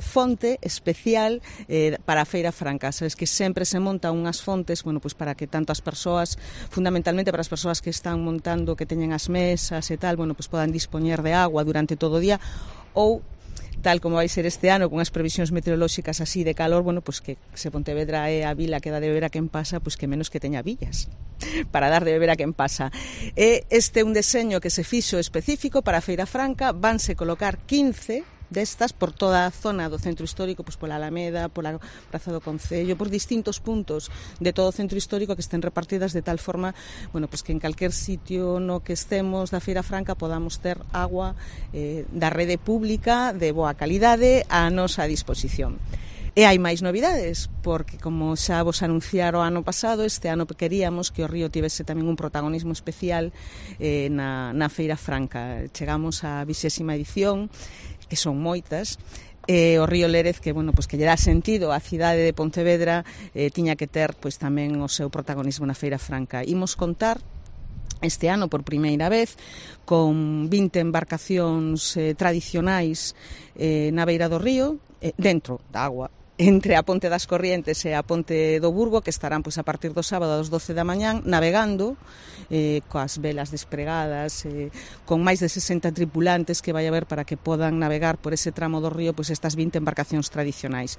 fonte especial para a Feira Franca. Sabes que sempre se montan unhas fontes, bueno, pues para que tanto as persoas, fundamentalmente para as persoas que están montando, que teñen as mesas e tal, bueno, pues podan dispoñer de agua durante todo o día, ou tal como vai ser este ano, con as previsións meteorolóxicas así de calor, bueno, pues que se Pontevedra é a vila que dá de beber a quen pasa, pues que menos que teña villas para dar de beber a quen pasa. Este é un deseño que se fixo específico para a Feira Franca, vanse colocar 15 destas por toda a zona do centro histórico, pois pola Alameda, pola Praza do Concello, por distintos puntos de todo o centro histórico que estén repartidas de tal forma, bueno, pois que en calquer sitio no que estemos da Feira Franca podamos ter agua da rede pública de boa calidade a nosa disposición. E hai máis novidades, porque como xa vos anunciaron o ano pasado, este ano queríamos que o río tivese tamén un protagonismo especial na Feira Franca. Chegamos á 20ª edición, que son moitas, o río Lérez, que, bueno, pues que lle dá sentido á cidade de Pontevedra, tiña que ter pois tamén o seu protagonismo na Feira Franca. Imos contar este ano por primeira vez con 20 embarcacións tradicionais na beira do río, dentro da agua, entre a Ponte das Corrientes e a Ponte do Burgo, que estarán pois a partir do sábado ás 12 da mañán navegando coas velas despregadas, con máis de 60 tripulantes que vai haber para que podan navegar por ese tramo do río pois estas 20 embarcacións tradicionais.